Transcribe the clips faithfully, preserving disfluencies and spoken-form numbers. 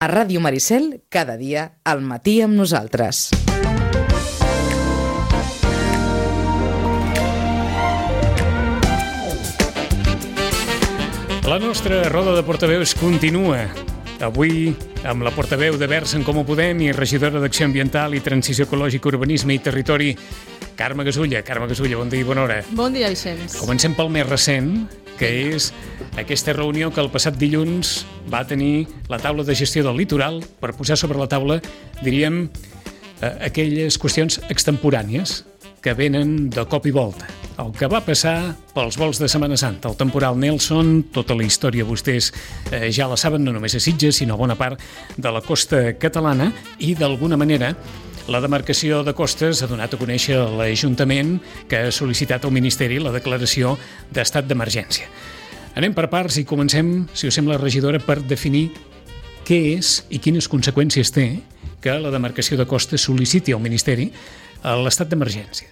A Ràdio Maricel, cada dia, al matí amb nosaltres. La nostra roda de portaveus continua. Avui amb la portaveu de Verds en Comú Podem i regidora d'Acció Ambiental i Transició Ecològica, Urbanisme i Territori, Carme Gasulla. Carme Gasulla, bon dia i bona hora. Bon dia, Vicenç. Comencem pel més recent, que és aquesta reunió que el passat dilluns va tenir la taula de gestió del litoral per posar sobre la taula, diríem, aquelles qüestions extemporànies que venen de cop i volta. El que va passar pels vols de Setmana Santa, el temporal Nelson, tota la història vostès eh, ja la saben, no només a Sitges, sinó a bona part de la costa catalana, i d'alguna manera la demarcació de costes ha donat a conèixer a l'Ajuntament que ha sol·licitat al Ministeri la declaració d'estat d'emergència. Anem per parts i comencem, si us sembla, regidora, per definir què és i quines conseqüències té que la demarcació de costes sol·liciti al Ministeri l'estat d'emergència.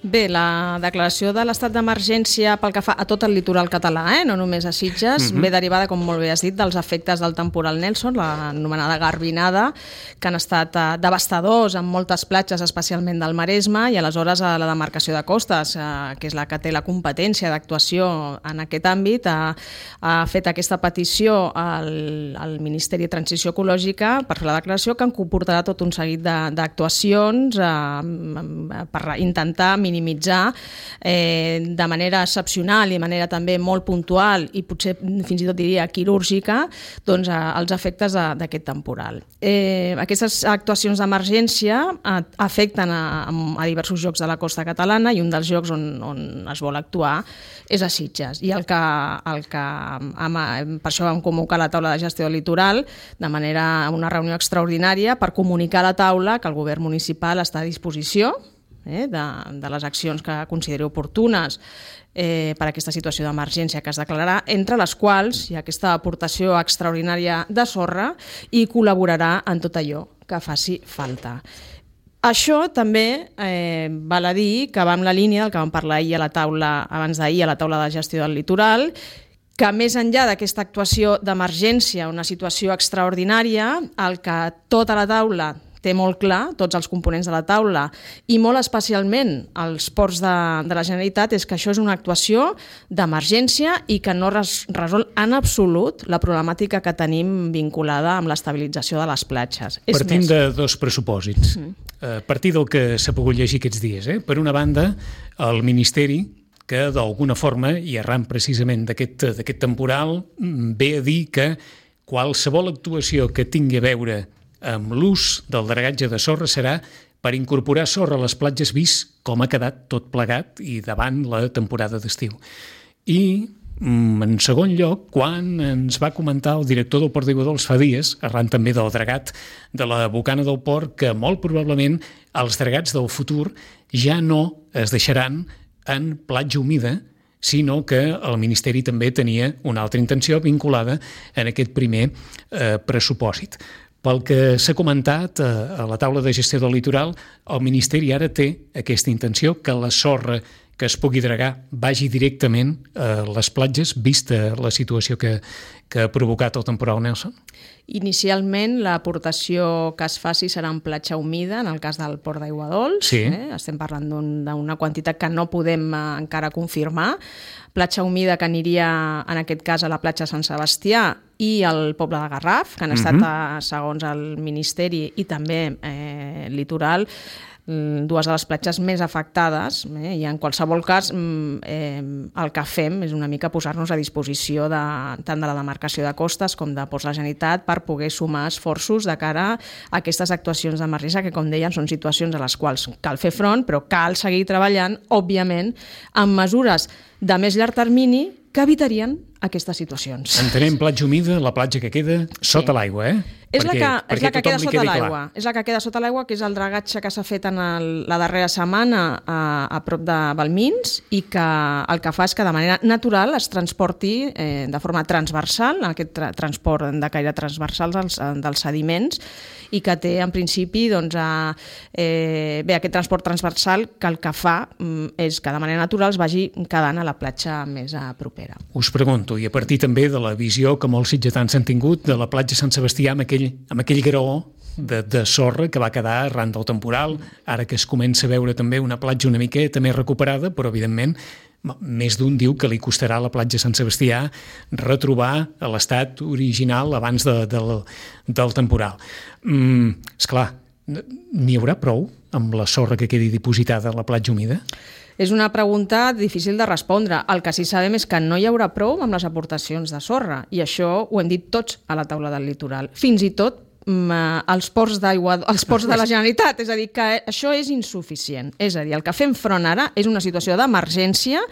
Bé, la declaració de l'estat d'emergència pel que fa a tot el litoral català, eh? no només a Sitges, mm-hmm. ve derivada, com molt bé has dit, dels efectes del temporal Nelson, l'anomenada garbinada, que han estat eh, devastadors en moltes platges, especialment del Maresme, i aleshores a la demarcació de costes, eh, que és la que té la competència d'actuació en aquest àmbit, ha, ha fet aquesta petició al, al Ministeri de Transició Ecològica per fer la declaració, que en comportarà tot un seguit d'actuacions eh, per intentar minimitzar eh, de manera excepcional i de manera també molt puntual i potser fins i tot diria quirúrgica doncs, eh, els efectes d'aquest temporal. Eh, aquestes actuacions d'emergència eh, afecten a, a diversos llocs de la costa catalana i un dels llocs on, on es vol actuar és a Sitges. I el que, el que amb, per això vam convocar la taula de gestió del litoral de manera una reunió extraordinària per comunicar a la taula que el govern municipal està a disposició Eh, de, de les accions que consideri oportunes eh, per a aquesta situació d'emergència que es declararà, entre les quals hi ha aquesta aportació extraordinària de sorra i col·laborarà en tot allò que faci falta. Això també eh, val a dir que va en la línia del que vam parlar ahir a la taula, abans d'ahir a la taula de gestió del litoral, que més enllà d'aquesta actuació d'emergència, una situació extraordinària, el que tota la taula té molt clar, tots els components de la taula, i molt especialment els ports de, de la Generalitat, és que això és una actuació d'emergència i que no res, resol en absolut la problemàtica que tenim vinculada amb l'estabilització de les platges. És Partim més. de dos pressupòsits. Mm. A partir del que s'ha pogut llegir aquests dies. Eh? Per una banda, el Ministeri, que d'alguna forma, i arran precisament d'aquest d'aquest temporal, ve a dir que qualsevol actuació que tingui a veure amb l'ús del dragatge de sorra serà per incorporar sorra a les platges, vist com ha quedat tot plegat i davant la temporada d'estiu. I, en segon lloc, quan ens va comentar el director del Port d'Aiguadols fa dies, arran també del dragat de la bocana del port, que molt probablement els dragats del futur ja no es deixaran en platja humida, sinó que el Ministeri també tenia una altra intenció vinculada en aquest primer eh, pressupòsit. Pel que s'ha comentat a la taula de gestió del litoral, el Ministeri ara té aquesta intenció que la sorra que es pugui dragar vagi directament a les platges, vista la situació que, que ha provocat el temporal Nelson? Inicialment, l'aportació que es faci serà en platja humida, en el cas del Port d'Aiguadols. Sí. Eh? Estem parlant d'una quantitat que no podem eh, encara confirmar. Platja humida que aniria, en aquest cas, a la platja Sant Sebastià i al poble de Garraf, que han estat, uh-huh. segons el Ministeri, i també eh, litoral, dues de les platges més afectades, eh? I en qualsevol cas eh, el que fem és una mica posar-nos a disposició de, tant de la demarcació de costes com de Ports de la Generalitat per poder sumar esforços de cara a aquestes actuacions d'emergència que, com deien, són situacions a les quals cal fer front, però cal seguir treballant, òbviament, amb mesures de més llarg termini que evitarien aquestes situacions. Entenem platja humida, la platja que queda sota sí. l'aigua, eh? És perquè, la que, és la que queda sota l'aigua. Clar. És la que queda sota l'aigua, que és el dragatge que s'ha fet en el, la darrera setmana a, a prop de Balmins i que el que fa és que de manera natural es transporti eh, de forma transversal, aquest tra transport de caire transversal dels, dels sediments, i que té en principi doncs, a, eh, bé, aquest transport transversal que el que fa mm, és que de manera natural es vagi quedant a la platja més a propera. Us pregunto, i a partir també de la visió que molts sitgetans han tingut de la platja Sant Sebastià amb aquell aquell, amb aquell graó de, de sorra que va quedar arran del temporal, ara que es comença a veure també una platja una miqueta més recuperada, però evidentment més d'un diu que li costarà a la platja Sant Sebastià retrobar l'estat original abans de, del, del temporal. Mm, esclar, n'hi haurà prou amb la sorra que quedi dipositada a la platja humida? És una pregunta difícil de respondre. El que sí sabem és que no hi haurà prou amb les aportacions de sorra, i això ho hem dit tots a la taula del litoral. Fins i tot els ports d'aigua, els ports de la Generalitat, és a dir, que això és insuficient. És a dir, el que fem front ara és una situació d'emergència,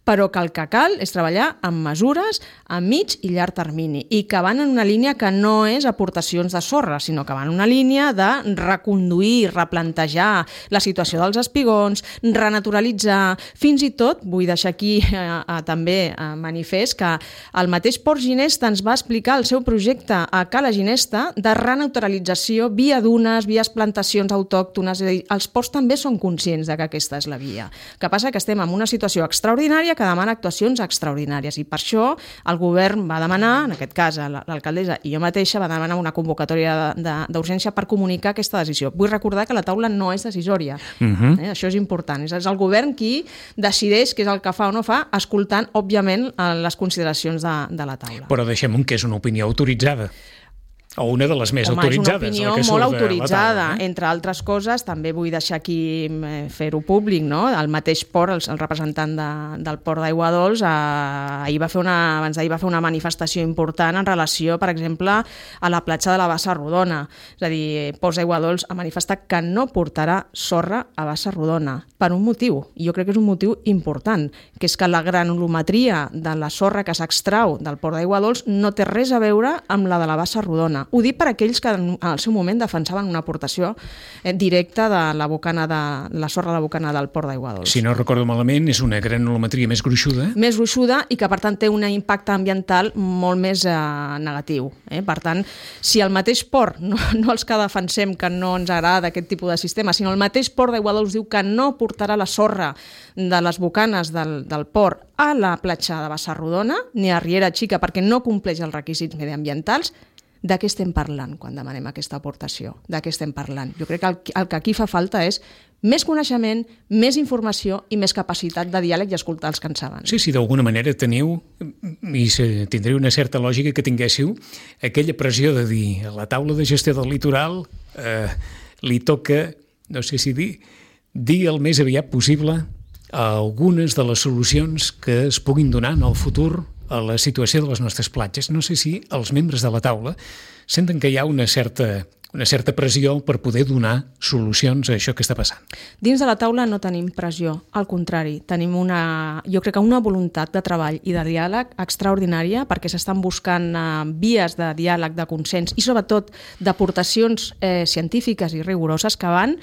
però que el que cal és treballar amb mesures a mig i llarg termini, i que van en una línia que no és aportacions de sorra, sinó que van en una línia de reconduir, replantejar la situació dels espigons, renaturalitzar, fins i tot, vull deixar aquí eh, eh, també eh, manifest que el mateix Port Ginesta ens va explicar el seu projecte a Cala Ginesta de renaturalització via dunes, vies plantacions autòctones, és a dir, els ports també són conscients de que aquesta és la via. El que passa que estem en una situació extraordinària que demana actuacions extraordinàries, i per això el govern va demanar, en aquest cas l'alcaldessa i jo mateixa, va demanar una convocatòria d'urgència per comunicar aquesta decisió. Vull recordar que la taula no és decisòria. Uh-huh. eh? Això és important. És el govern qui decideix què és el que fa o no fa, escoltant, òbviament, les consideracions de, de la taula. Però deixem que és una opinió autoritzada. O una de les més Home, autoritzades. És una opinió molt autoritzada. Taula, eh? Entre altres coses, també vull deixar aquí fer-ho públic, no? El mateix port, el, el representant de, del port d'Aigua Dols, eh, ahir va fer una, abans d'ahir va fer una manifestació important en relació, per exemple, a la platja de la Bassa Rodona. És a dir, Ports d'Aigua Dols ha manifestat que no portarà sorra a Bassa Rodona, per un motiu, i jo crec que és un motiu important, que és que la granulometria de la sorra que s'extrau del port d'Aigua Dols no té res a veure amb la de la Bassa Rodona. Ho dic per aquells que en el seu moment defensaven una aportació directa de la bocana de la sorra de la bocana del port d'Aigua Dols. Si no recordo malament, és una granulometria més gruixuda. Més gruixuda i que, per tant, té un impacte ambiental molt més eh, negatiu. Eh? Per tant, si el mateix port, no, no els que defensem que no ens agrada aquest tipus de sistema, sinó el mateix port d'Aigua Dols diu que no portarà la sorra de les bocanes del, del port a la platja de Bassa Rodona, ni a Riera Xica, perquè no compleix els requisits mediambientals, de què estem parlant quan demanem aquesta aportació? De què estem parlant? Jo crec que el, el que aquí fa falta és més coneixement, més informació i més capacitat de diàleg i escoltar els que en saben. Sí, sí, d'alguna manera teniu, i tindria una certa lògica que tinguéssiu, aquella pressió de dir a la taula de gestió del litoral eh, li toca, no sé si dir, dir el més aviat possible algunes de les solucions que es puguin donar en el futur a la situació de les nostres platges. No sé si els membres de la taula senten que hi ha una certa, una certa pressió per poder donar solucions a això que està passant. Dins de la taula no tenim pressió, al contrari, tenim una, jo crec que una voluntat de treball i de diàleg extraordinària, perquè s'estan buscant uh, vies de diàleg, de consens i sobretot d'aportacions eh, científiques i rigoroses que van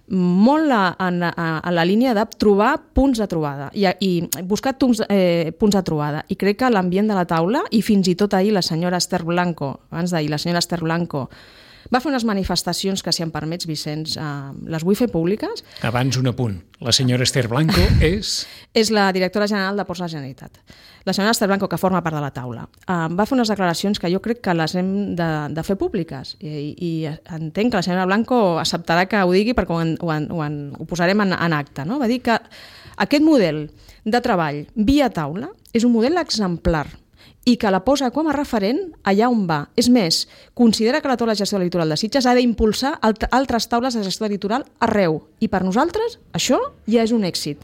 molt a, a, a la línia de trobar punts de trobada i, i buscar punts, eh, punts de trobada, i crec que l'ambient de la taula, i fins i tot ahir la senyora Esther Blanco, abans d'ahir la senyora Esther Blanco va fer unes manifestacions que, si em permets, Vicenç, eh, les vull fer públiques. Abans un apunt. La senyora Esther Blanco és... és la directora general de Ports de la Generalitat. La senyora Esther Blanco, que forma part de la taula, eh, va fer unes declaracions que jo crec que les hem de, de fer públiques. I, i entenc que la senyora Blanco acceptarà que ho digui perquè ho, en, ho, en, ho, en, ho posarem en, en acte. No? Va dir que aquest model de treball via taula és un model exemplar i que la posa com a referent allà on va. És més, considera que la taula de gestió del litoral de Sitges ha d'impulsar altres taules de gestió del litoral arreu. I per nosaltres això ja és un èxit.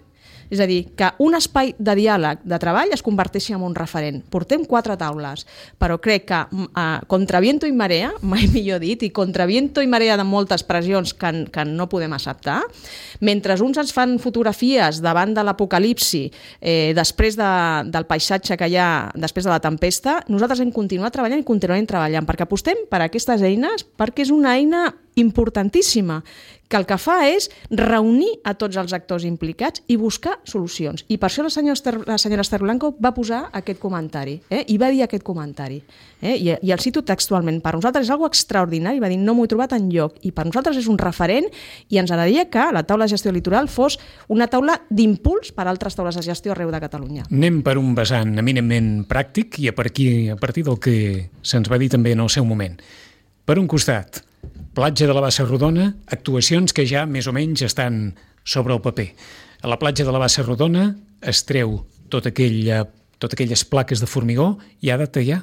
És a dir, que un espai de diàleg, de treball, es converteixi en un referent. Portem quatre taules, però crec que eh, contra viento i marea, mai millor dit, i contra viento i marea de moltes pressions que, que no podem acceptar, mentre uns ens fan fotografies davant de l'apocalipsi, eh, després de, del paisatge que hi ha després de la tempesta, nosaltres hem continuat treballant i continuem treballant, perquè apostem per aquestes eines, perquè és una eina importantíssima, que el que fa és reunir a tots els actors implicats i buscar solucions. I per això la senyora Esther, la senyora Esther Blanco va posar aquest comentari, eh? i va dir aquest comentari. Eh? I, I el cito textualment. Per nosaltres és algo extraordinari, va dir, no m'ho he trobat enlloc. I per nosaltres és un referent i ens agradaria que la taula de gestió litoral fos una taula d'impuls per a altres taules de gestió arreu de Catalunya. Anem per un vessant eminentment pràctic i a partir, a partir del que se'ns va dir també en el seu moment. Per un costat, platja de la Bassa Rodona, actuacions que ja més o menys estan sobre el paper. A la platja de la Bassa Rodona es treu tot aquell, tot aquelles plaques de formigó i ha data ja?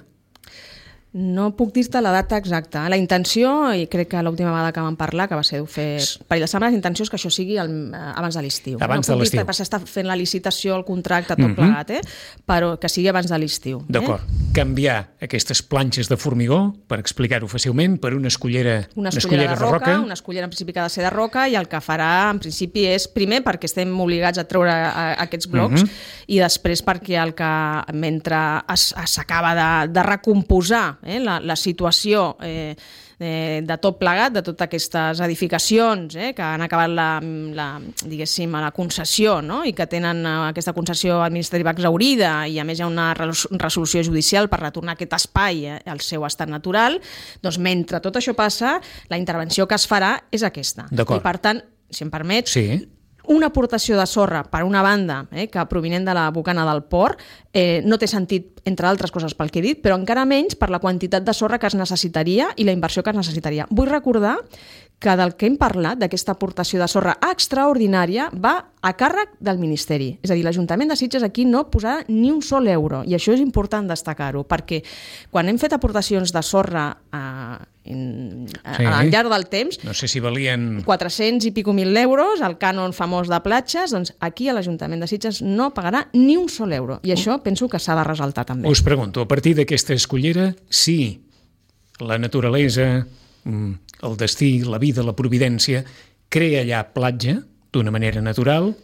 No puc dir-te la data exacta. La intenció, i crec que l'última vegada que vam parlar, que va ser fer parell de setmanes, la intenció és que això sigui el, abans de l'estiu. Abans no de l'estiu. No puc dir-te, s'està fent la licitació, el contracte, tot mm -hmm. plegat, eh? Però que sigui abans de l'estiu. D'acord. Eh? Canviar aquestes planxes de formigó, per explicar-ho fàcilment, per una escullera, una escullera, una escullera de, roca, de roca. Una escullera en principi que ha de ser de roca, i el que farà en principi és, primer, perquè estem obligats a treure a, a aquests blocs, mm -hmm. i després perquè el que, mentre s'acaba de, de recomposar eh, la, la situació situació eh, de, de tot plegat, de totes aquestes edificacions eh, que han acabat la, la, diguéssim, la concessió, no? I que tenen aquesta concessió administrativa exhaurida, i a més hi ha una resolució judicial per retornar aquest espai eh, al seu estat natural. Doncs mentre tot això passa, la intervenció que es farà és aquesta. I per tant, si em permets, sí. una aportació de sorra, per una banda, eh, que provinent de la bocana del port, eh, no té sentit, entre altres coses pel que he dit, però encara menys per la quantitat de sorra que es necessitaria i la inversió que es necessitaria. Vull recordar que del que hem parlat, d'aquesta aportació de sorra extraordinària, va a càrrec del Ministeri. És a dir, l'Ajuntament de Sitges aquí no posarà ni un sol euro, i això és important destacar-ho, perquè quan hem fet aportacions de sorra a, en, a, sí. al llarg del temps, no sé si valien quatre-cents i pico mil euros, el cànon famós de platges, doncs aquí a l'Ajuntament de Sitges no pagarà ni un sol euro, i això penso que s'ha de ressaltar també. Us pregunto, a partir d'aquesta escullera, si la naturalesa, el destí, la vida, la providència, crea allà platja d'una manera natural,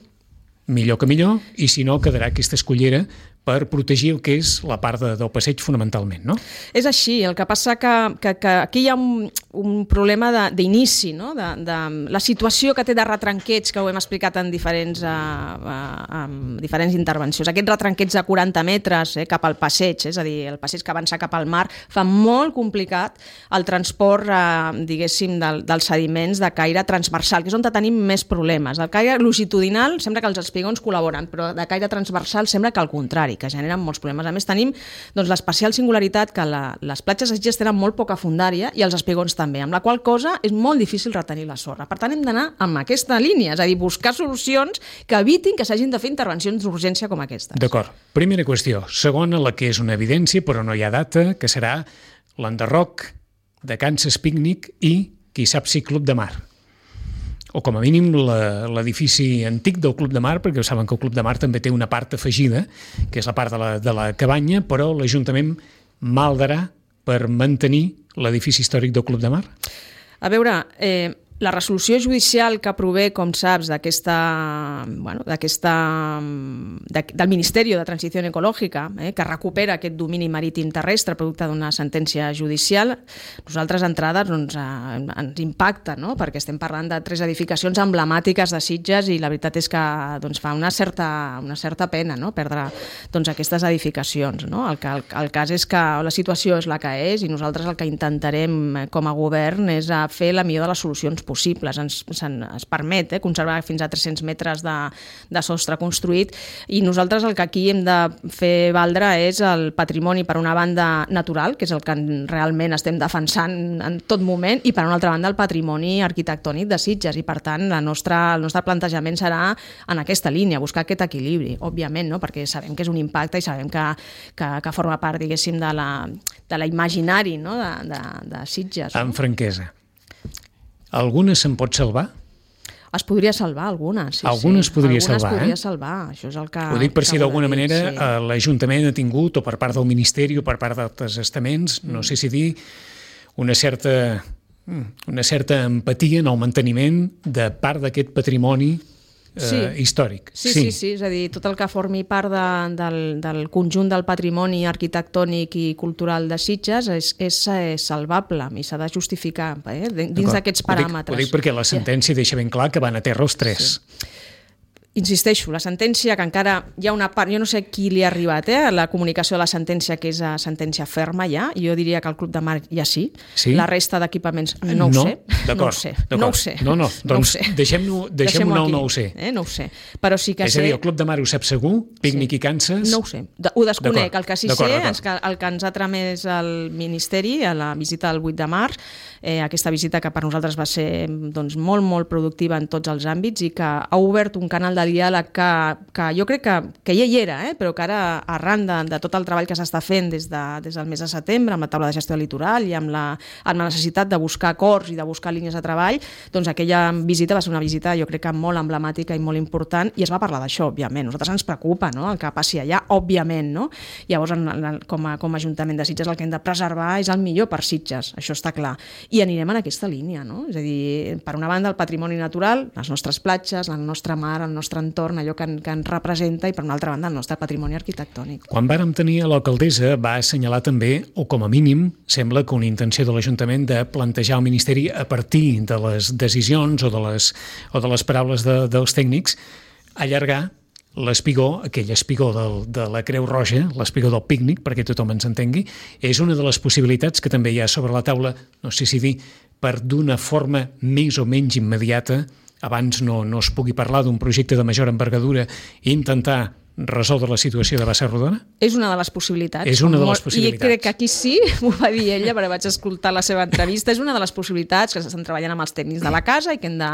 millor que millor, i si no, quedarà aquesta escullera per protegir el que és la part de, del passeig fonamentalment, no? És així, el que passa que, que, que aquí hi ha un, un problema d'inici, no? de, de la situació que té de retranqueig, que ho hem explicat en diferents, uh, uh, en diferents intervencions. Aquests retranqueig de quaranta metres eh, cap al passeig, és a dir, el passeig que avança cap al mar, fa molt complicat el transport, uh, diguéssim, del, dels sediments de caire transversal, que és on tenim més problemes. El caire longitudinal sembla que els espigons col·laboren, però de caire transversal sembla que al contrari, que generen molts problemes. A més, tenim doncs, l'especial singularitat que la, les platges de Sitges tenen molt poca fondària i els espigons també, amb la qual cosa és molt difícil retenir la sorra. Per tant, hem d'anar amb aquesta línia, és a dir, buscar solucions que evitin que s'hagin de fer intervencions d'urgència com aquestes. D'acord. Primera qüestió. Segona, la que és una evidència, però no hi ha data, que serà l'enderroc de Kansas Pícnic i, qui sap si, Club de Mar. O com a mínim l'edifici antic del Club de Mar, perquè saben que el Club de Mar també té una part afegida, que és la part de la, de la cabanya, però l'Ajuntament maldarà per mantenir l'edifici històric del Club de Mar? A veure, eh, la resolució judicial que prové, com saps, d'aquesta, bueno, d'aquesta, de, del Ministeri de Transició Ecològica, eh, que recupera aquest domini marítim terrestre producte d'una sentència judicial, nosaltres d'entrada doncs, eh, ens impacta, no? Perquè estem parlant de tres edificacions emblemàtiques de Sitges i la veritat és que doncs, fa una certa, una certa pena, no? Perdre doncs, aquestes edificacions. No? El, que, el, el cas és que la situació és la que és i nosaltres el que intentarem com a govern és a fer la millor de les solucions possibles. Ens, ens permet eh, conservar fins a tres-cents metres de, de sostre construït i nosaltres el que aquí hem de fer valdre és el patrimoni per una banda natural, que és el que realment estem defensant en tot moment, i per una altra banda el patrimoni arquitectònic de Sitges, i per tant la nostra, el nostre plantejament serà en aquesta línia, buscar aquest equilibri, òbviament, no? Perquè sabem que és un impacte i sabem que, que, que forma part, diguéssim, de la, de la imaginari, no? de, de, de Sitges. No? Amb franquesa. Alguna se'n pot salvar? Es podria salvar, alguna. Sí, alguna sí. es podria alguna salvar, es podria eh? salvar, això és el que... Ho dic per si d'alguna manera sí. l'Ajuntament ha tingut, o per part del Ministeri o per part d'altres estaments, mm. no sé si dir, una certa, una certa empatia en el manteniment de part d'aquest patrimoni sí. eh, històric. Sí, sí, sí, sí, és a dir, tot el que formi part de, del, del conjunt del patrimoni arquitectònic i cultural de Sitges és, és, és salvable i s'ha de justificar eh, dins d'aquests paràmetres. Ho dic, ho dic perquè la sentència deixa ben clar que van a terra els tres. Sí. insisteixo, la sentència, que encara hi ha una part, jo no sé qui li ha arribat, eh, la comunicació de la sentència, que és a sentència ferma ja, i jo diria que el Club de Mar ja sí, sí? La resta d'equipaments no, no ho sé. No ho sé, no ho sé. No, no, doncs no deixem-ho deixem no, no ho sé. Eh, no ho sé, però sí que és sé... És a dir, el Club de Mar ho sap segur, Pícnic sí. i Kansas... No ho sé, ho desconec, el que sí sé és que el que ens ha tramès el Ministeri a la visita del vuit de març, eh, aquesta visita que per nosaltres va ser doncs, molt, molt productiva en tots els àmbits i que ha obert un canal de diàleg que, que jo crec que, que ja hi era, eh, però que ara arran de, de tot el treball que s'està fent des, de, des del mes de setembre amb la taula de gestió del litoral i amb la, amb la necessitat de buscar acords i de buscar línies de treball, doncs aquella visita va ser una visita jo crec que molt emblemàtica i molt important i es va parlar d'això, òbviament. Nosaltres ens preocupa, no?, el que passi allà, òbviament, no? Llavors, en, en, com, a, com a Ajuntament de Sitges el que hem de preservar és el millor per Sitges, això està clar. I anirem en aquesta línia, no? És a dir, per una banda el patrimoni natural, les nostres platges, el nostre mar, el nostre entorn, allò que, que ens representa, i per una altra banda el nostre patrimoni arquitectònic. Quan vàrem tenir a l'alcaldessa va assenyalar també, o com a mínim, sembla que una intenció de l'Ajuntament de plantejar al Ministeri a partir de les decisions o de les, o de les paraules de, dels tècnics, allargar l'espigó, aquell espigó del, de la Creu Roja, l'espigó del pícnic, perquè tothom ens entengui, és una de les possibilitats que també hi ha sobre la taula, no sé si dir, per d'una forma més o menys immediata, abans no, no es pugui parlar d'un projecte de major envergadura i intentar resoldre la situació de Bassa-Rodona? És una de les possibilitats. És una de les possibilitats. I crec que aquí sí, m'ho va dir ella, perquè vaig escoltar la seva entrevista, és una de les possibilitats que s'estan treballant amb els tècnics de la casa i que hem de,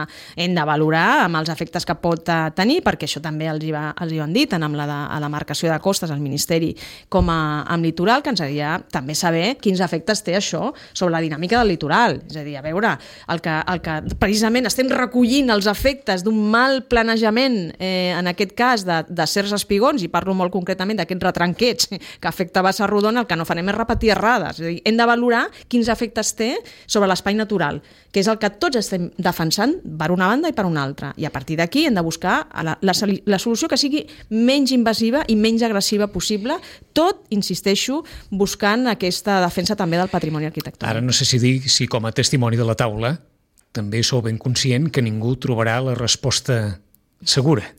hem de valorar amb els efectes que pot tenir, perquè això també els hi, va, els hi van dir, tant amb la, de, a la marcació de costes al Ministeri com a, amb litoral, que ens agradaria també saber quins efectes té això sobre la dinàmica del litoral. És a dir, a veure, el que, el que precisament estem recollint els efectes d'un mal planejament, eh, en aquest cas, de, de certs espigons, i parlo molt concretament d'aquests retranquets que afecta Bassa-Rodona, el que no farem és repetir errades. És a dir, hem de valorar quins efectes té sobre l'espai natural, que és el que tots estem defensant per una banda i per una altra. I a partir d'aquí hem de buscar la, la, la solució que sigui menys invasiva i menys agressiva possible, tot, insisteixo, buscant aquesta defensa també del patrimoni arquitectònic. Ara no sé si dir si com a testimoni de la taula també sou ben conscient que ningú trobarà la resposta segura.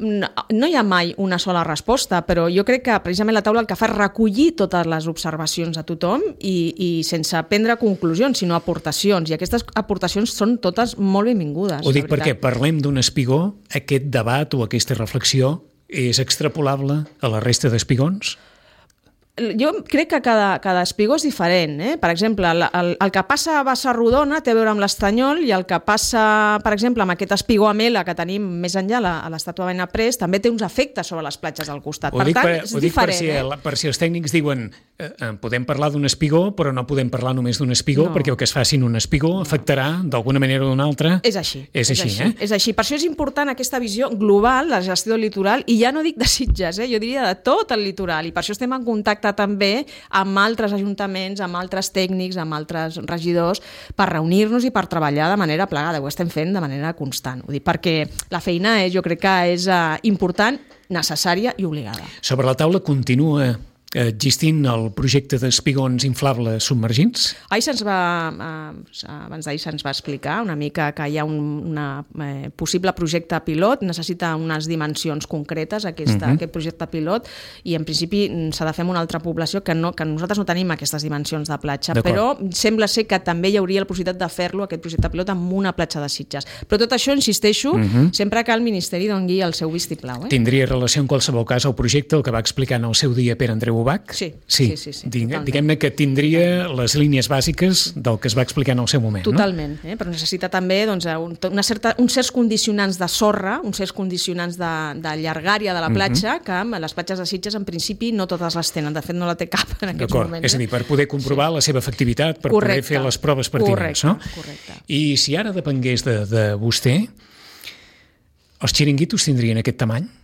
No, no hi ha mai una sola resposta, però jo crec que precisament la taula el que fa és recollir totes les observacions de tothom i, i sense prendre conclusions, sinó aportacions, i aquestes aportacions són totes molt benvingudes. Ho dic perquè parlem d'un espigó, aquest debat o aquesta reflexió és extrapolable a la resta d'espigons? Jo crec que cada, cada espigó és diferent. Eh? Per exemple, el, el, el que passa a Bassa-Rodona té a veure amb l'Estanyol i el que passa, per exemple, amb aquest espigó Amela que tenim més enllà la, a l'estàtua Benaprés també té uns efectes sobre les platges al costat. Ho per dic, tant, per, és ho dic diferent. Per si, eh? per si els tècnics diuen eh, eh, podem parlar d'un espigó, però no podem parlar només d'un espigó, no. Perquè el que es faci en un espigó no. afectarà d'alguna manera o d'una altra. És així. És, és així, així, eh? És així. Per això és important aquesta visió global de la gestió del litoral, i ja no dic de Sitges, eh? Jo diria de tot el litoral, i per això estem en contacte també amb altres ajuntaments, amb altres tècnics, amb altres regidors, per reunir-nos i per treballar de manera plegada. Ho estem fent de manera constant. Ho dic perquè la feina és, jo crec que és uh, important, necessària i obligada. Sobre la taula continua existint el projecte d'espigons inflables submergits? Ahir se'ns va, eh, abans d'ahir se'ns va explicar una mica que hi ha un una, eh, possible projecte pilot, necessita unes dimensions concretes aquesta, uh-huh. aquest projecte pilot, i en principi s'ha de fer amb una altra població que, no, que nosaltres no tenim aquestes dimensions de platja, però sembla ser que també hi hauria la possibilitat de fer-lo, aquest projecte pilot, amb una platja de Sitges. Però tot això, insisteixo, uh-huh. sempre que el Ministeri doni el seu vistiplau. Eh? Tindria relació en qualsevol cas al projecte, el que va explicar en el seu dia Pere Andreu Ubach? Sí, sí, sí, sí, sí Digue, diguem-ne que tindria les línies bàsiques del que es va explicar en el seu moment. Totalment, no? eh? Però necessita també doncs, una certa, uns certs condicionants de sorra, uns certs condicionants de, de llargària de la platja, uh-huh. que amb les platges de Sitges en principi no totes les tenen, de fet no la té cap en aquests D'acord. moments. És a dir, per poder comprovar sí. la seva efectivitat, per correcte. poder fer les proves pertinents. Correcte, no? correcte. I si ara depengués de, de vostè, els xiringuitos tindrien aquest tamany?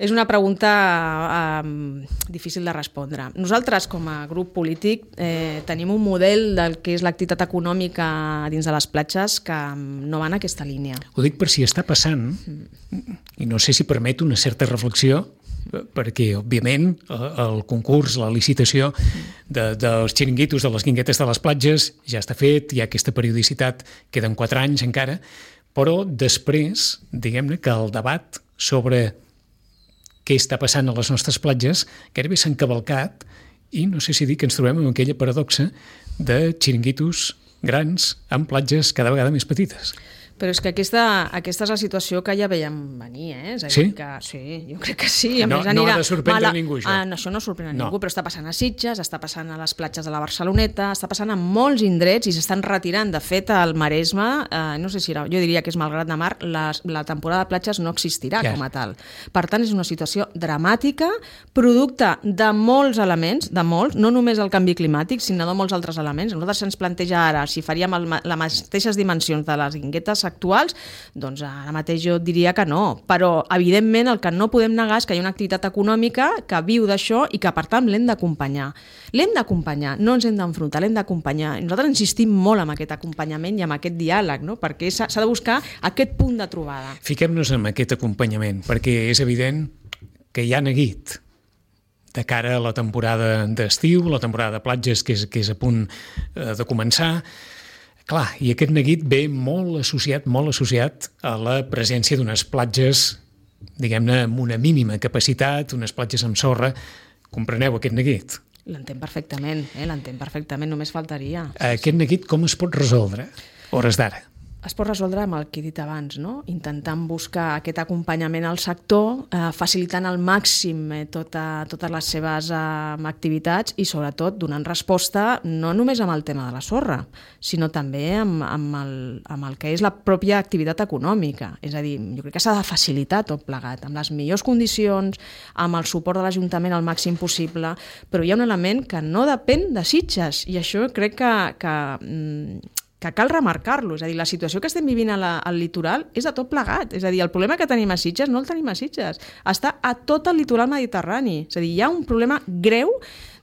És una pregunta eh, difícil de respondre. Nosaltres, com a grup polític, eh, tenim un model del que és l'activitat econòmica dins de les platges que no va en aquesta línia. Ho dic per si està passant, mm. i no sé si permet una certa reflexió, perquè, òbviament, el concurs, la licitació de, dels xiringuitos, de les guinguetes de les platges, ja està fet, hi ha aquesta periodicitat, queden quatre anys encara, però després, diguem-ne, que el debat sobre què està passant a les nostres platges gairebé s'ha encavalcat i no sé si dir que ens trobem amb aquella paradoxa de xiringuitos grans amb platges cada vegada més petites. Però és que aquesta, aquesta és la situació que ja veiem venir, eh? És a dir, Sí? Que, sí, jo crec que sí. A No- més, no anirà ha de sorprendre mala- ningú, això. Ah, no, això no sorprèn a No. ningú, però està passant a Sitges, està passant a les platges de la Barceloneta, està passant a molts indrets i s'estan retirant. De fet, al Maresme, eh, no sé si era, jo diria que és Malgrat de Mar, la, la temporada de platges no existirà Ja. com a tal. Per tant, és una situació dramàtica, producte de molts elements, de molts, no només el canvi climàtic, sinó de molts altres elements. A nosaltres se'ns planteja ara, si faríem el, ma- les mateixes dimensions de les guinguetes actuals, doncs ara mateix jo diria que no, però evidentment el que no podem negar és que hi ha una activitat econòmica que viu d'això i que per tant l'hem d'acompanyar. L'hem d'acompanyar, no ens hem d'enfrontar, l'hem d'acompanyar. I nosaltres insistim molt en aquest acompanyament i en aquest diàleg, no? Perquè s'ha s'ha de buscar aquest punt de trobada. Fiquem-nos en aquest acompanyament, perquè és evident que hi ha neguit de cara a la temporada d'estiu, la temporada de platges que és, que és a punt eh, de començar. Clar, i aquest neguit ve molt associat, molt associat a la presència d'unes platges, diguem-ne, amb una mínima capacitat, unes platges amb sorra. Compreneu aquest neguit? L'entenc perfectament, eh? L'entenc perfectament, només faltaria. Aquest neguit com es pot resoldre, hores d'ara? Es pot resoldre amb el que he dit abans, no? Intentant buscar aquest acompanyament al sector, eh, facilitant al màxim eh, tota, totes les seves eh, activitats i sobretot donant resposta no només amb el tema de la sorra, sinó també amb, amb, el, amb el que és la pròpia activitat econòmica. És a dir, jo crec que s'ha de facilitar tot plegat, amb les millors condicions, amb el suport de l'Ajuntament al màxim possible, però hi ha un element que no depèn de Sitges i això crec que... que mm, que cal remarcar-lo. És a dir, la situació que estem vivint a la, al litoral és de tot plegat. És a dir, el problema que tenim a Sitges no el tenim a Sitges. Està a tot el litoral mediterrani. És a dir, hi ha un problema greu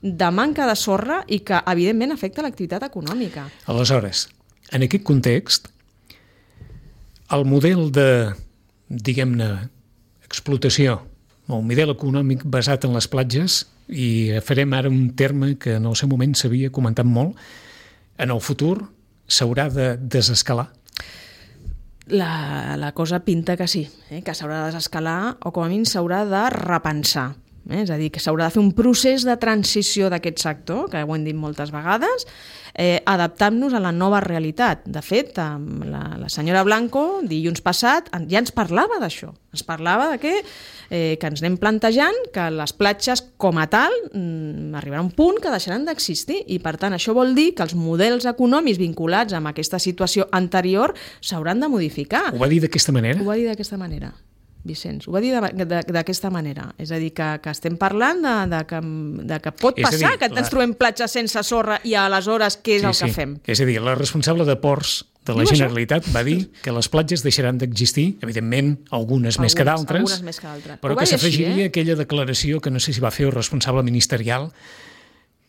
de manca de sorra i que, evidentment, afecta l'activitat econòmica. Aleshores, en aquest context, el model de, diguem-ne, explotació, o un model econòmic basat en les platges, i farem ara un terme que en el seu moment s'havia comentat molt, en el futur s'haurà de desescalar? La, la cosa pinta que sí, eh? Que s'haurà de desescalar o com a mínim s'haurà de repensar. Eh? És a dir, que s'haurà de fer un procés de transició d'aquest sector, que ho hem dit moltes vegades, eh, adaptant-nos a la nova realitat. De fet, la, la senyora Blanco, dilluns passat, ja ens parlava d'això. Ens parlava de que, eh, que ens anem plantejant que les platges com a tal mm, arribarà a un punt que deixaran d'existir i per tant això vol dir que els models econòmics vinculats amb aquesta situació anterior s'hauran de modificar. Ho va dir d'aquesta manera? Ho va dir d'aquesta manera, Vicenç. Ho va dir d'aquesta manera. És a dir, que, que estem parlant de, de, que, de que pot És a passar dir, que ens la- trobem platges sense sorra i aleshores què és el que fem? És a dir, la responsable de ports de la Diu això? Generalitat va dir que les platges deixaran d'existir, evidentment, algunes, més que Algunes- d'altres, algunes més que d'altres. però Ho va que dir així, s'afegiria eh? aquella declaració que no sé si va fer el responsable ministerial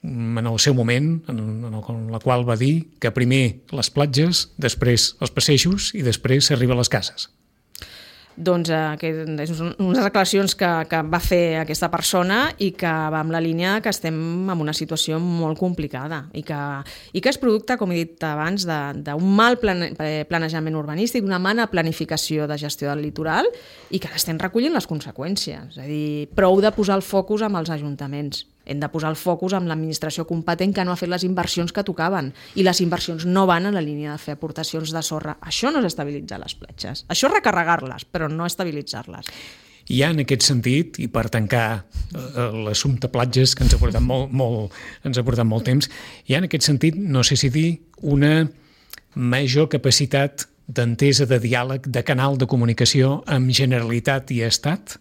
mm, en el seu moment, en, en, el, en la qual va dir que primer les platges, després els passejos i després s'arriba a les cases. Doncs eh, que és unes declaracions que, que va fer aquesta persona i que va amb la línia que estem en una situació molt complicada i que, i que és producte, com he dit abans, d'un mal plane, planejament urbanístic, d'una mala planificació de gestió del litoral i que n'estem recollint les conseqüències. És a dir, prou de posar el focus amb els ajuntaments. Hem de posar el focus amb l'administració competent que no ha fet les inversions que tocaven i les inversions no van en la línia de fer aportacions de sorra. Això no és estabilitzar les platges. Això és recarregar-les, però no estabilitzar-les. Hi ha en aquest sentit, i per tancar eh, l'assumpte platges, que ens ha portat molt, molt, ens ha portat molt temps, hi ha en aquest sentit, no sé si dir, una major capacitat d'entesa, de diàleg, de canal de comunicació amb Generalitat i Estat?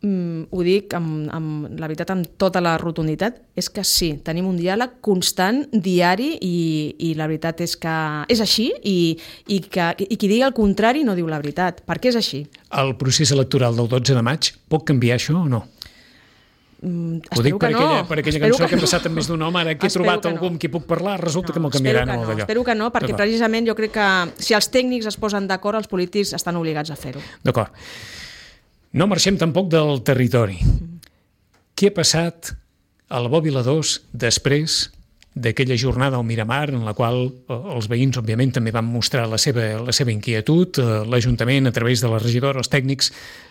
Mm, ho dic amb, amb la veritat, amb tota la rotunditat, és que sí, tenim un diàleg constant, diari, i, i la veritat és que és així, i, i, que, i qui digui el contrari no diu la veritat, perquè és així. El procés electoral del dotze de maig pot canviar això o no? Mm, Ho dic per que aquella, no. per aquella Espero cançó que, que he passat amb més d'un home, ara que he Espero trobat que algú no. amb qui puc parlar, resulta No, que me'l espero canviaran que o no, d'allò. espero que no, perquè D'acord. precisament jo crec que si els tècnics es posen d'acord, els polítics estan obligats a fer-ho. D'acord. No marxem tampoc del territori. Què ha passat a la Bòbila dos després d'aquella jornada al Miramar, en la qual els veïns, òbviament, també van mostrar la seva, la seva inquietud. L'Ajuntament, a través de la regidora, els tècnics,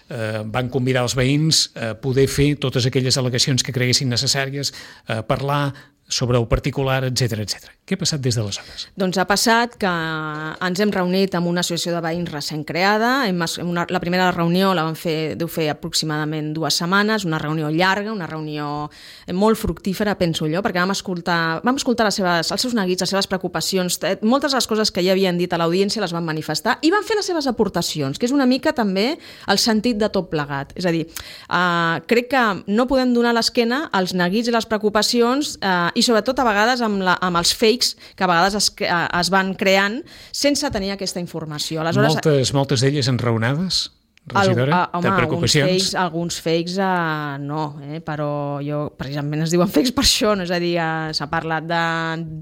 eh, van convidar els veïns a poder fer totes aquelles al·legacions que creguessin necessàries, a parlar sobre el particular, etcètera, etcètera. Què ha passat des d'aleshores? Doncs ha passat que ens hem reunit amb una associació de veïns recent creada. Hem, una, la primera reunió la vam fer, deu fer aproximadament dues setmanes, una reunió llarga, una reunió molt fructífera, penso jo, perquè vam escoltar, vam escoltar les seves, els seus neguits, les seves preocupacions, moltes de les coses que ja havien dit a l'audiència les van manifestar i van fer les seves aportacions, que és una mica també el sentit de tot plegat. És a dir, eh, crec que no podem donar l'esquena als neguits i les preocupacions eh, i sobretot a vegades amb, la, amb els fakes que a vegades es, es van creant sense tenir aquesta informació. Aleshores, moltes, moltes d'elles enraonades? Regidora, el, home, de preocupacions? Alguns fakes, alguns fakes uh, no, eh, però jo, precisament es diuen fakes per això, no? És a dir, uh, s'ha parlat de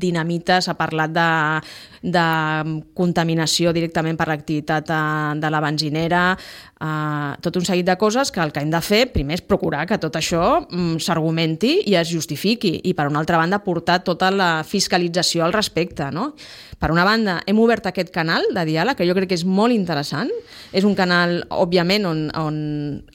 dinamita, s'ha parlat de, de contaminació directament per l'activitat uh, de la benzinera, uh, tot un seguit de coses que el que hem de fer primer és procurar que tot això um, s'argumenti i es justifiqui i per una altra banda portar tota la fiscalització al respecte, no? Per una banda, hem obert aquest canal de diàleg, que jo crec que és molt interessant. És un canal, òbviament, on, on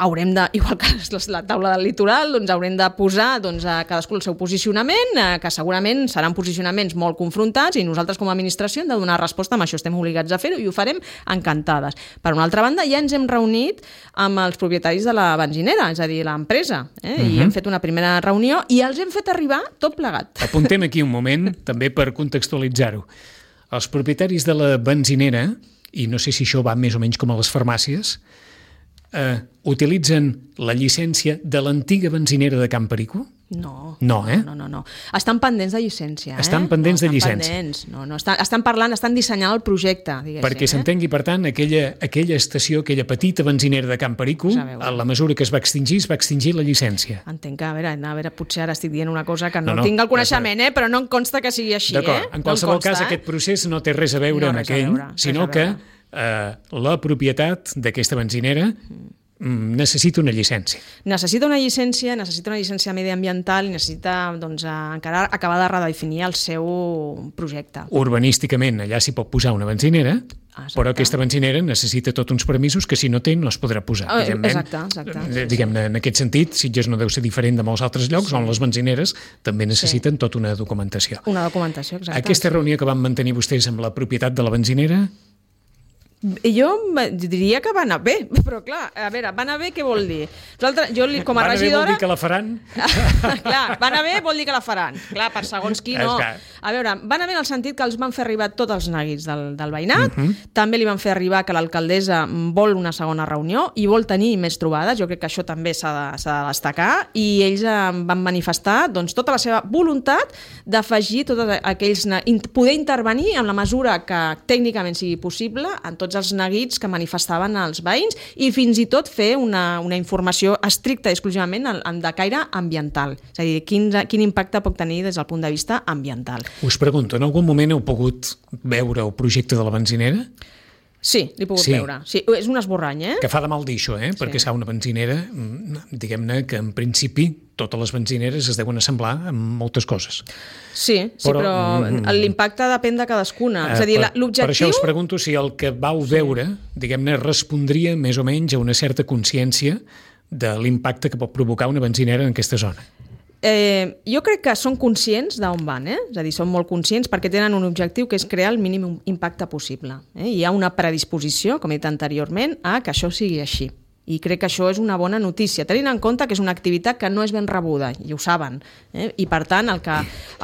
haurem de, igual que la taula del litoral, doncs haurem de posar doncs, a cadascú el seu posicionament, eh, que segurament seran posicionaments molt confrontats i nosaltres com a administració hem de donar resposta, amb això estem obligats a fer-ho i ho farem encantades. Per una altra banda, ja ens hem reunit amb els propietaris de la benzinera, és a dir, l'empresa, eh? Uh-huh. I hem fet una primera reunió i els hem fet arribar tot plegat. Apuntem aquí un moment, també per contextualitzar-ho. Els propietaris de la benzinera, i no sé si això va més o menys com a les farmàcies, eh, utilitzen la llicència de l'antiga benzinera de Can Perico? No, no, eh? no, no, no. Estan pendents de llicència. Eh? Estan pendents no, de llicència. Estan pendents. No, no, estan, estan parlant, estan dissenyant el projecte, diguéssim. Perquè s'entengui, per tant, aquella, aquella estació, aquella petita benzinera de Can Perico, a la mesura que es va extingir, es va extingir la llicència. Entenc que, a veure, a veure, potser ara estic dient una cosa que no, no, no tinc el coneixement, eh? Però no em consta que sigui així. D'acord, eh? en qualsevol no consta, cas, eh? aquest procés no té res a veure no, amb aquell, veure, sinó que eh, la propietat d'aquesta benzinera necessita una llicència. Necessita una llicència, necessita una llicència mediambiental i necessita doncs, encara acabar de redefinir el seu projecte. Urbanísticament allà s'hi pot posar una benzinera, exacte, però aquesta benzinera necessita tots uns permisos que si no té no es podrà posar. Oh, exacte, exacte. Diguem-ne, en aquest sentit, Sitges no deu ser diferent de molts altres llocs, sí, on les benzineres també necessiten sí. tota una documentació. Una documentació, exacte. Aquesta reunió que van mantenir vostès amb la propietat de la benzinera... Jo diria que va anar bé, però clar, a veure, va anar bé què vol dir? Nosaltres, jo com a va regidora... Va anar bé vol dir que la faran? Clar, va anar bé vol dir que la faran. Clar, per segons qui no. A veure, va anar bé en el sentit que els van fer arribar tots els neguits del, del veïnat, uh-huh. També li van fer arribar que l'alcaldessa vol una segona reunió i vol tenir més trobades, jo crec que això també s'ha de, s'ha de destacar, i ells van manifestar doncs, tota la seva voluntat d'afegir tots aquells... poder intervenir en la mesura que tècnicament sigui possible en tots els neguits que manifestaven els veïns i fins i tot fer una, una informació estricta i exclusivament de caire ambiental. És a dir, quin, quin impacte pot tenir des del punt de vista ambiental. Us pregunto, en algun moment heu pogut veure el projecte de la benzinera? Sí, l'he pogut sí. veure. Sí, és un esborrany, eh? Que fa de mal dir això, eh? Sí. Perquè serà una benzinera, diguem-ne que en principi totes les benzineres es deuen assemblar amb moltes coses. Sí, sí, però, però l'impacte depèn de cadascuna. Eh, és a dir, per, l'objectiu... per això us pregunto si el que vau veure, diguem-ne, respondria més o menys a una certa consciència de l'impacte que pot provocar una benzinera en aquesta zona. Eh, jo crec que són conscients d'on van, eh? És a dir, són molt conscients perquè tenen un objectiu que és crear el mínim impacte possible. Eh? Hi ha una predisposició, com he dit anteriorment, a que això sigui així. I crec que això és una bona notícia, tenint en compte que és una activitat que no és ben rebuda, i ho saben. Eh? I per tant, el que,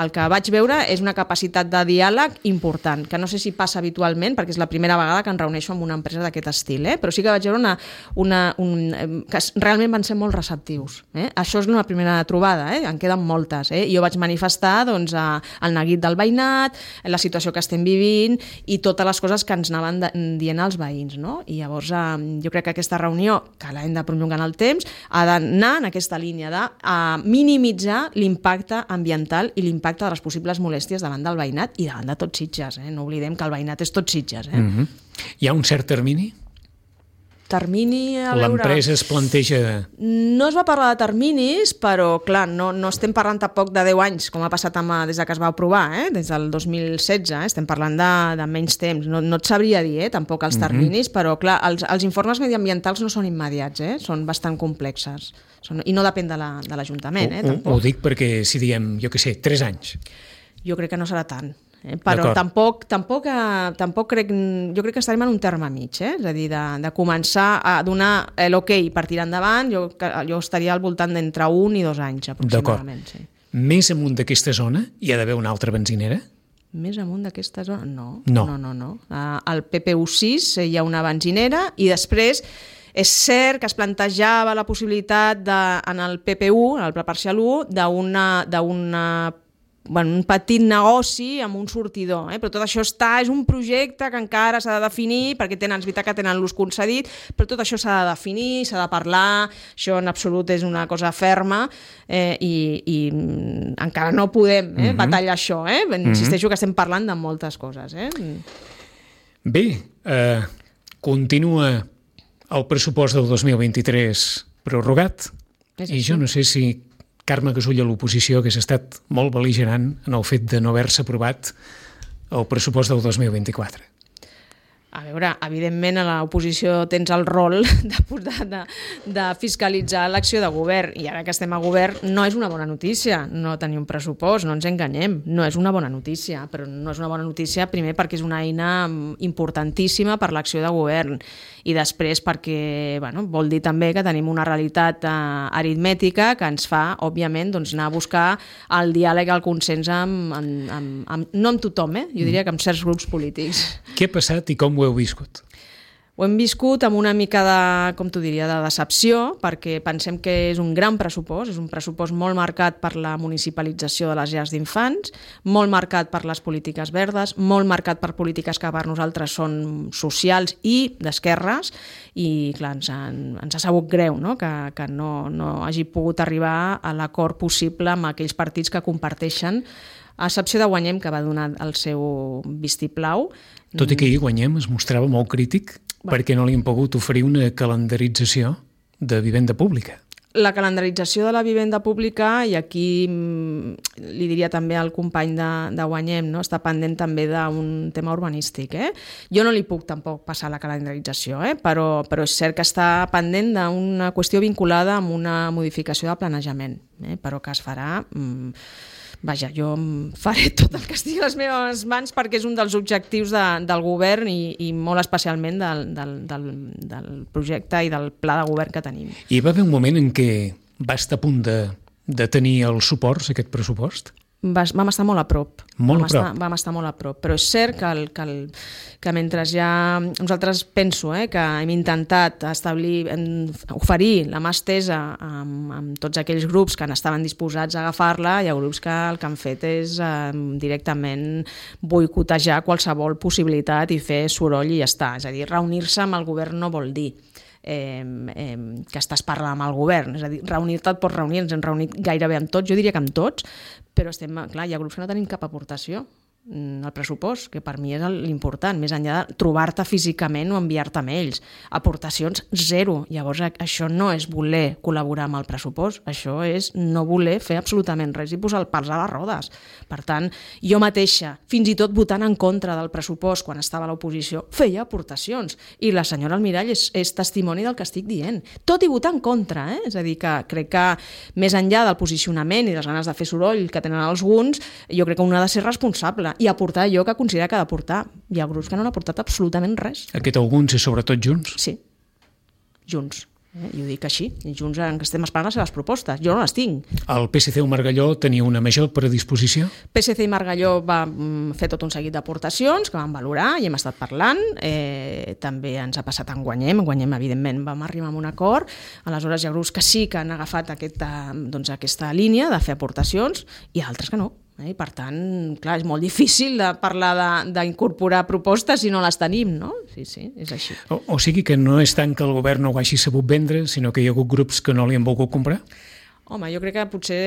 el que vaig veure és una capacitat de diàleg important, que no sé si passa habitualment, perquè és la primera vegada que em reuneixo amb una empresa d'aquest estil, eh? Però sí que vaig veure una, una, un, que realment van ser molt receptius. Eh? Això és una primera trobada, eh? En queden moltes. Eh? Jo vaig manifestar doncs, el neguit del veïnat, la situació que estem vivint i totes les coses que ens anaven dient els veïns. No? I llavors eh, jo crec que aquesta reunió que l'hem de prolongar en el temps, ha d'anar en aquesta línia de uh, minimitzar l'impacte ambiental i l'impacte de les possibles molèsties davant del veïnat i davant de tots Sitges. Eh? No oblidem que el veïnat és tot Sitges. Eh? Mm-hmm. Hi ha un cert termini? termini, a veure... L'empresa es planteja... No es va parlar de terminis, però, clar, no, no estem parlant tampoc de deu anys, com ha passat amb, des que es va aprovar, eh? Des del dos mil setze, eh? Estem parlant de, de menys temps. No, no et sabria dir, eh? Tampoc els terminis, uh-huh. però, clar, els, els informes mediambientals no són immediats, eh? Són bastant complexes. Són, I no depèn de l'Ajuntament, la, eh? Tampoc. Ho, ho dic perquè, si diem, jo què sé, tres anys. Jo crec que no serà tant. Eh? Però tampoc, tampoc, eh, tampoc crec, jo crec que estarem en un terme mig, eh? És a dir, de, de començar a donar l'ok per tirar endavant, jo, jo estaria al voltant d'entre un i dos anys aproximadament. Sí. Més amunt d'aquesta zona hi ha d'haver una altra benzinera? Més amunt d'aquesta zona? No. No. no, no, no. Al P P U sis hi ha una benzinera i després és cert que es plantejava la possibilitat de, en el P P U, en el Pla Parcial u, d'una d'una bueno, un petit negoci amb un sortidor, eh? Però tot això està, és un projecte que encara s'ha de definir, perquè tenen, és veritat que tenen l'ús concedit, però tot això s'ha de definir, s'ha de parlar, això en absolut és una cosa ferma, eh, i, i encara no podem eh, uh-huh. batallar això, eh? Insisteixo uh-huh. que estem parlant de moltes coses. Eh? Bé, eh, continua el pressupost del dos mil vint-i-tres prorrogat, i jo no sé si Carme Gasull a l'oposició hagués estat molt bel·ligerant en el fet de no haver-se aprovat el pressupost del dos mil vint-i-quatre. A veure, evidentment a l'oposició tens el rol de, de, de fiscalitzar l'acció de govern, i ara que estem a govern no és una bona notícia no tenir un pressupost, no ens enganyem, no és una bona notícia, però no és una bona notícia primer perquè és una eina importantíssima per l'acció de govern, i després perquè bueno, vol dir també que tenim una realitat eh, aritmètica que ens fa, òbviament, doncs, anar a buscar el diàleg, el consens amb, amb, amb, amb, no amb tothom, eh? Jo diria que amb certs grups polítics. Què ha passat i com ho heu viscut? Ho hem viscut amb una mica de, com t'ho diria, de decepció, perquè pensem que és un gran pressupost, és un pressupost molt marcat per la municipalització de les llars d'infants, molt marcat per les polítiques verdes, molt marcat per polítiques que per nosaltres són socials i d'esquerres, i clar, ens, han, ens ha sabut greu, no? que, que no, no hagi pogut arribar a l'acord possible amb aquells partits que comparteixen, a excepció de Guanyem, que va donar el seu vistiplau. Tot i que ahir Guanyem es mostrava molt crític bueno. perquè no li han pogut oferir una calendarització de vivenda pública. La calendarització de la vivenda pública, i aquí li diria també al company de, de Guanyem, no? Està pendent també d'un tema urbanístic. Eh? Jo no li puc tampoc passar la calendarització, eh? però, però és cert que està pendent d'una qüestió vinculada amb una modificació de planejament, eh? però que es farà... Mm, Vaja, jo faré tot el que estigui a les meves mans perquè és un dels objectius de, del govern i, i molt especialment del, del, del, del projecte i del pla de govern que tenim. Hi va haver un moment en què va estar a punt de, de tenir els suports, aquest pressupost? Vas, vam estar molt a prop. Molt vam a prop. Estar, vam estar molt a prop. Però és cert que, el, que, el, que mentre ja... Nosaltres penso eh, que hem intentat establir, oferir la mà estesa amb, amb tots aquells grups que estaven disposats a agafar-la, hi ha grups que el que han fet és eh, directament boicotejar qualsevol possibilitat i fer soroll i ja està. És a dir, reunir-se amb el govern no vol dir Eh, eh, que estàs parlant amb el govern, és a dir, reunir-te et pots reunir, ens hem reunit gairebé amb tots, jo diria que amb tots, però estem, clar, hi ha grups que no tenim cap aportació al pressupost, que per mi és l'important, més enllà de trobar-te físicament o enviar-te mails. Aportacions zero. Llavors, això no és voler col·laborar amb el pressupost, això és no voler fer absolutament res i posar el pals a les rodes. Per tant, jo mateixa, fins i tot votant en contra del pressupost quan estava a l'oposició, feia aportacions. I la senyora Almirall és, és testimoni del que estic dient. Tot i votar en contra, eh? És a dir, que crec que més enllà del posicionament i les ganes de fer soroll que tenen alguns, jo crec que un ha de ser responsable i aportar allò que considera que ha d'aportar. Hi ha grups que no han aportat absolutament res. Aquest alguns és sobretot Junts? Sí, Junts. Eh? I ho dic així. I Junts que estem esperant les seves propostes. Jo no les tinc. El P S C o Margalló tenia una major predisposició? P S C i Margalló va fer tot un seguit d'aportacions que vam valorar i hem estat parlant. Eh, també ens ha passat en Guanyem. En Guanyem, evidentment, vam arribar a un acord. Aleshores, hi ha grups que sí que han agafat aquesta, doncs, aquesta línia de fer aportacions i altres que no. I per tant, clar, és molt difícil de parlar d'incorporar propostes si no les tenim, no? Sí, sí, és així. O, o sigui que no és tant que el govern no ho hagi sabut vendre, sinó que hi ha hagut grups que no li han volgut comprar? Home, jo crec que potser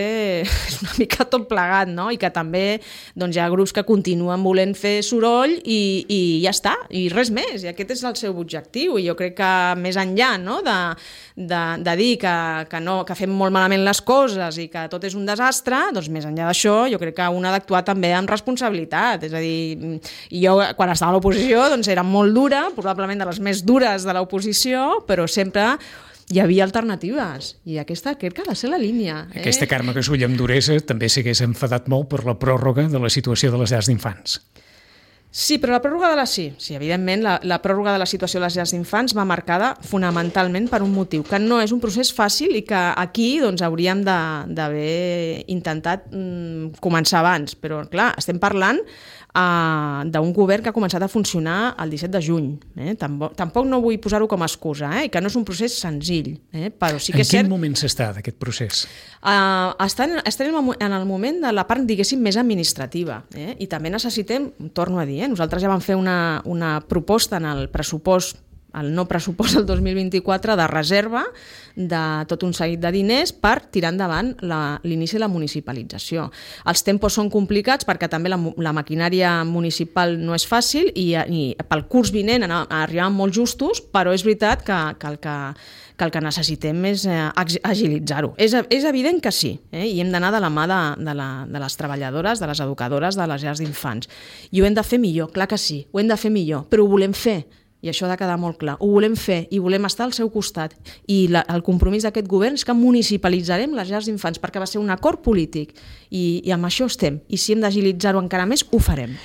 és una mica tot plegat, no? I que també doncs, hi ha grups que continuen volent fer soroll i, i ja està, i res més. I aquest és el seu objectiu. I jo crec que més enllà, no? de, de, de dir que, que, no, que fem molt malament les coses i que tot és un desastre, doncs més enllà d'això jo crec que un ha d'actuar també amb responsabilitat. És a dir, jo quan estava a l'oposició doncs, era molt dura, probablement de les més dures de l'oposició, però sempre hi havia alternatives, i aquesta crec que ha de ser la línia. Eh? Aquesta Carme Casull amb duresa també s'hagués enfadat molt per la pròrroga de la situació de les llars d'infants. Sí, però la pròrroga de la... Sí, sí evidentment, la, la pròrroga de la situació de les llars d'infants va marcada fonamentalment per un motiu, que no és un procés fàcil i que aquí doncs, hauríem d'haver intentat mm, començar abans. Però, clar, estem parlant Uh, d'un govern que ha començat a funcionar el disset de juny. Eh? Tampoc, tampoc no vull posar-ho com a excusa, eh? que no és un procés senzill. Eh? Però sí que en és quin cert, moment s'està d'aquest procés? Uh, estem, estem en el moment de la part, diguéssim, més administrativa. Eh? I també necessitem, torno a dir, eh? nosaltres ja vam fer una, una proposta en el pressupost el no pressupost del dos mil vint-i-quatre de reserva de tot un seguit de diners per tirar endavant l'inici de la municipalització. Els tempos són complicats perquè també la, la maquinària municipal no és fàcil i, i pel curs vinent arribaven molt justos, però és veritat que, que, el, que, que el que necessitem és eh, agilitzar-ho. És, és evident que sí, eh? I hem d'anar de la mà de, de, la, de les treballadores, de les educadores, de les llars d'infants. I ho hem de fer millor, clar que sí, ho hem de fer millor, però ho volem fer. I això ha de quedar molt clar. Ho volem fer i volem estar al seu costat. I la, el compromís d'aquest govern és que municipalitzarem les llars d'infants perquè va ser un acord polític i, i amb això estem. I si hem d'agilitzar-ho encara més, ho farem.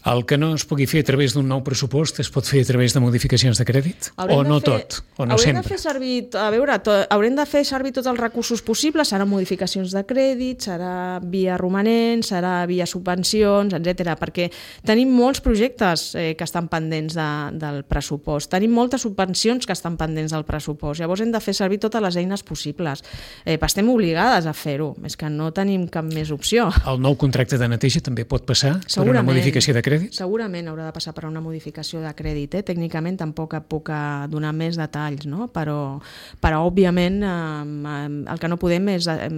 El que no es pugui fer a través d'un nou pressupost es pot fer a través de modificacions de crèdit? Haurem o no fer, tot? O no haurem sempre? De fer servir, a veure, to, haurem de fer servir tots els recursos possibles, serà modificacions de crèdit, serà via romanent, serà via subvencions, etcètera, perquè tenim molts projectes eh, que estan pendents de, del pressupost, tenim moltes subvencions que estan pendents del pressupost, llavors hem de fer servir totes les eines possibles. Eh, estem obligades a fer-ho, és que no tenim cap més opció. El nou contracte de neteja també pot passar per una modificació de crèdit? Segurament haurà de passar per una modificació de crèdit. Eh? Tècnicament tampoc puc donar més detalls, no? però, però òbviament eh, el que no podem és eh,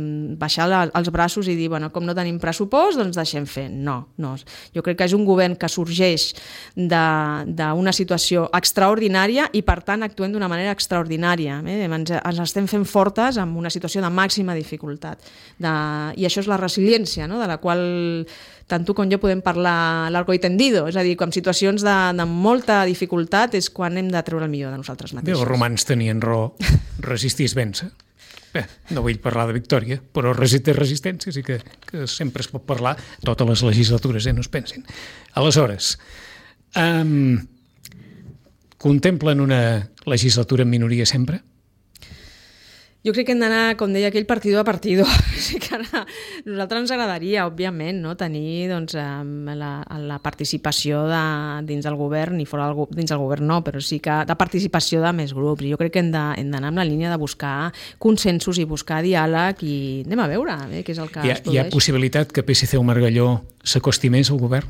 baixar la, els braços i dir, bueno, com no tenim pressupost, doncs deixem fer. No, no. Jo crec que és un govern que sorgeix d'una situació extraordinària i per tant actuem d'una manera extraordinària. Eh? Ens, ens estem fent fortes en una situació de màxima dificultat. De, I això és la resiliència, no? De la qual tant tu com jo podem parlar largo i tendido, és a dir, en situacions de, de molta dificultat és quan hem de treure el millor de nosaltres mateixos. Bé, els romans tenien raó, resistir és vèncer. Bé, no vull parlar de victòria, però resistir resistència sí que, que sempre es pot parlar, totes les legislatures, eh, no es pensin. Aleshores, um, contemplen una legislatura en minoria sempre? Jo crec que hem d'anar, com deia aquell, partido a partido. O sigui que ara, a nosaltres ens agradaria, òbviament, no? tenir doncs, la, la participació de, dins del govern, i fora del, dins del govern no, però sí que de participació de més grups. I jo crec que hem d'anar amb la línia de buscar consensos i buscar diàleg i anem a veure eh, què és el que hi ha, es produeix. Hi ha possibilitat que P S C o Margalló s'acosti més al govern?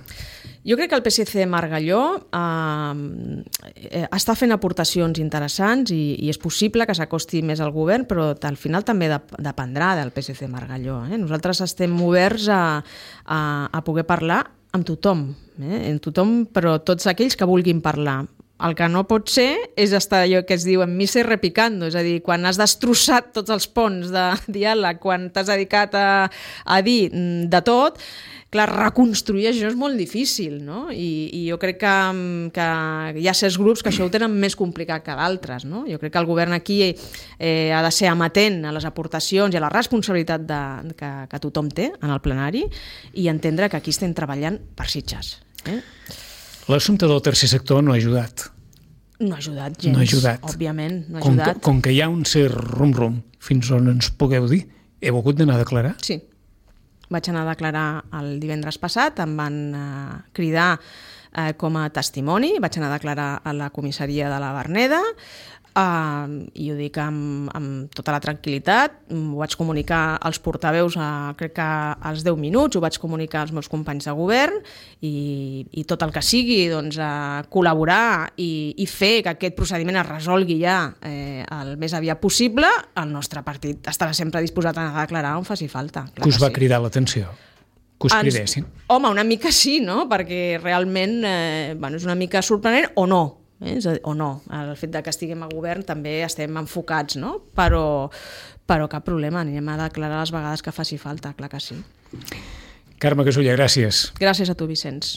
Jo crec que el P S C Margalló eh, està fent aportacions interessants i, i és possible que s'acosti més al govern, però al final també dependrà del P S C Margalló. Eh? Nosaltres estem oberts a, a, a poder parlar amb tothom, eh? amb tothom, però tots aquells que vulguin parlar. El que no pot ser és estar allò que es diu en missa i repicando, és a dir, quan has destrossat tots els ponts de diàleg, quan t'has dedicat a, a dir de tot, clar, reconstruir això és molt difícil, no? I, i jo crec que, que hi ha certs grups que això ho tenen més complicat que d'altres, no? Jo crec que el govern aquí eh, ha de ser amatent a les aportacions i a la responsabilitat de, que, que tothom té en el plenari i entendre que aquí estem treballant per Sitges. Eh? L'assumpte del tercer sector no ha ajudat. No ha ajudat gens, no ha ajudat. òbviament, no ha com ajudat. Que, com que hi ha un cert rum-rum, fins on ens pugueu dir, heu hagut d'anar a declarar? Sí. Vaig anar a declarar el divendres passat, em van eh, cridar eh, com a testimoni, vaig anar a declarar a la comissaria de la Verneda, uh, i ho dic amb, amb tota la tranquil·litat. Ho vaig comunicar als portaveus a, crec que als deu minuts, ho vaig comunicar als meus companys de govern i, i tot el que sigui, doncs, a col·laborar i, i fer que aquest procediment es resolgui ja eh, el més aviat possible. El nostre partit estarà sempre disposat a declarar on faci falta. Que us va sí. cridar l'atenció? Que us Ens, cridessin? Home, una mica sí, no? Perquè realment eh, bueno, és una mica sorprenent o no. Eh? O no, el fet de que estiguem a govern també estem enfocats, no? Però, però cap problema, anirem a declarar les vegades que faci falta, clar que sí. Carme Casulla, gràcies. Gràcies a tu, Vicenç.